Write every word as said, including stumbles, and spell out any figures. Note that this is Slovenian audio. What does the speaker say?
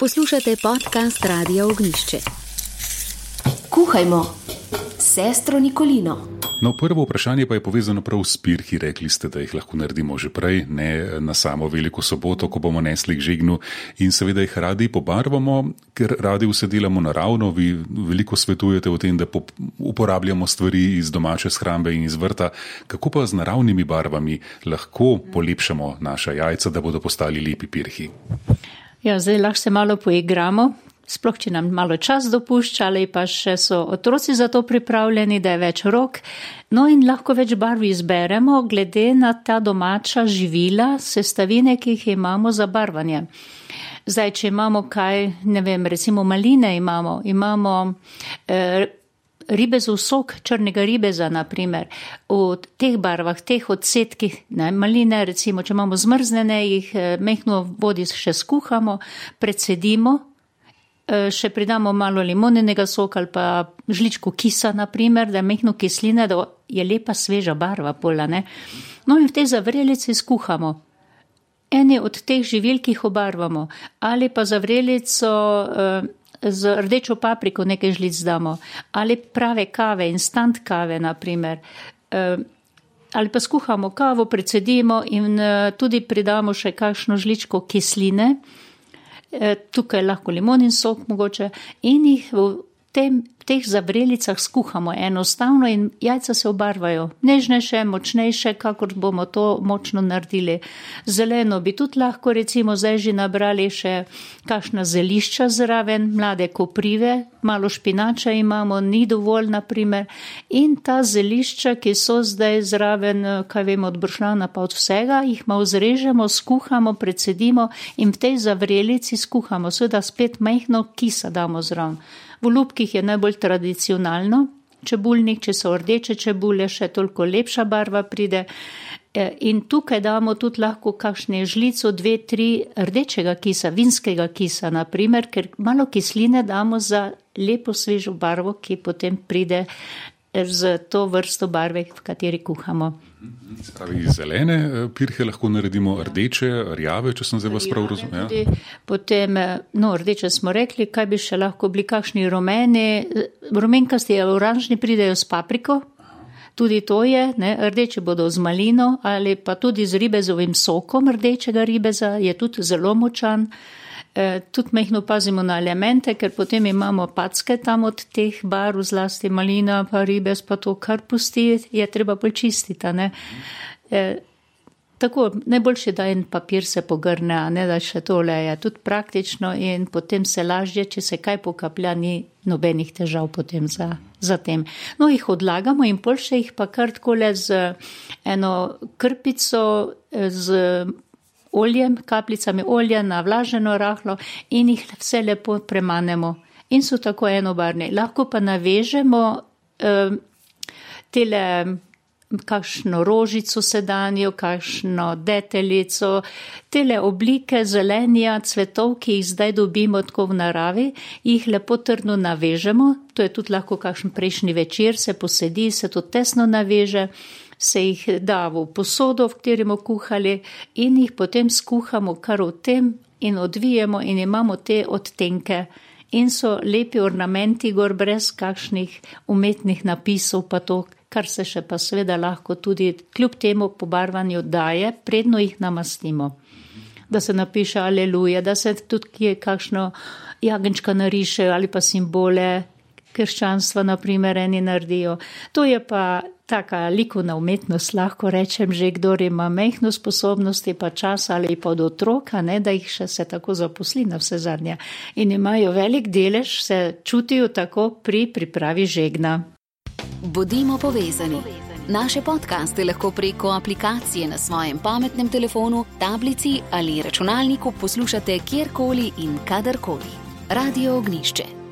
Poslušate podcast Radia Ognjišče. Kuhajmo, sestro Nikolino. No, prvo vprašanje pa je povezano prav s pirhi. Rekli ste, da jih lahko naredimo že prej, ne na samo veliko soboto, ko bomo nesli k žegnu, in seveda jih radi pobarvamo, ker radi vse delamo naravno. Vi veliko svetujete o tem, da uporabljamo stvari iz domače shrambe in iz vrta. Kako pa z naravnimi barvami lahko polepšamo naša jajca, da bodo postali lepi pirhi? Ja, zdaj lahko se malo poigramo, sploh če nam malo čas dopušča, ali pa še so otroci za to pripravljeni, da je več rok. No in lahko več barv izberemo, glede na ta domača živila, sestavine, ki jih imamo za barvanje. Zdaj, če imamo kaj, ne vem, recimo maline imamo, imamo eh, ribezov sok, črnega ribeza, na primer, v teh barvah, teh odsetkih, ne, maline, recimo, če imamo zmrznene, jih eh, mehko vodi še skuhamo, precedimo, eh, še pridamo malo limonenega soka ali pa žličko kisa, na primer, da je mehko kisline, da je lepa sveža barva pola, ne. No in v tej zavrelici skuhamo. Eni od teh živil, ki jih obarvamo, ali pa zavrelico eh, z rdečo papriko nekaj žlic damo, ali prave kave, instant kave, na primer, ali pa skuhamo kavo, precedimo in tudi pridamo še kakšno žličko kisline, tukaj lahko limonin sok mogoče, in jih v tem, teh zavrelicah skuhamo enostavno in jajca se obarvajo. Nežnejše, močnejše, kakor bomo to močno naredili. Zeleno bi tudi lahko, recimo, zdaj že nabrali še kakšna zelišča zraven, mlade koprive, malo špinača imamo, ni dovolj, na primer. In ta zelišča, ki so zdaj zraven, kaj vemo, od bršljana pa od vsega, jih malo zrežemo, skuhamo, precedimo in v tej zavrelici skuhamo. Seveda spet majhno kisa damo zraven. V lupkih je najbolj tradicionalno, čebulnik, če so rdeče čebule, še toliko lepša barva pride. In tukaj damo tudi lahko kakšne žlico, dve, tri rdečega kisa, vinskega kisa, na primer, ker malo kisline damo za lepo svežo barvo, ki potem pride z to vrsto barve, v kateri kuhamo. Spravi, zelene pirhe lahko naredimo rdeče, rjave, če sem zdaj vas prav razumel. Ja. Potem, no, rdeče smo rekli, kaj bi še lahko bili kakšni rumeni, rumenkasti, oranžni pridejo s papriko, tudi to je, ne, rdeče bodo z malino ali pa tudi z ribezovim sokom rdečega ribeza, je tudi zelo močan. E, tudi mehno pazimo na elemente, ker potem imamo packe tam od teh barv, zlasti malina, pa ribez, pa to, kar pusti, je treba bolj čistiti, ne. E, tako, najboljše, da en papir se pogrne, a ne da še tole je tudi praktično in potem se lažje, če se kaj pokaplja, ni nobenih težav potem za, za tem. No, jih odlagamo in boljše jih pa kar takole z eno krpico, z oljem, kapljicami olja, navlaženo rahlo in jih vse lepo premanemo. In so tako enobarni. Lahko pa navežemo eh, tele kakšno rožico sedanjo, kakšno deteljico, tele oblike zelenja, cvetov, ki jih zdaj dobimo tako v naravi, jih lepo trdno navežemo. To je tudi lahko kakšen prejšnji večer, se posedi, se to tesno naveže, se jih da v posodo, v katerem kuhali in jih potem skuhamo kar v tem in odvijemo in imamo te odtenke in so lepi ornamenti gor brez kakšnih umetnih napisov pa to, kar se še pa seveda lahko tudi kljub temu pobarvanju daje, predno jih namastimo. Da se napiše aleluja, da se tudi kje kakšno jagenčka nariše ali pa simbole krščanstva, na primer, eni naredijo. To je pa taka likovna umetnost, lahko rečem, že kdor ima mehno sposobnosti pa čas ali pa od otroka, ne, da jih še se tako zaposli na vse zadnje. In imajo velik delež, se čutijo tako pri pripravi žegna. Bodimo povezani. Naše podcaste lahko preko aplikacije na svojem pametnem telefonu, tablici ali računalniku poslušate kjerkoli in kadarkoli. Radio Ognjišče.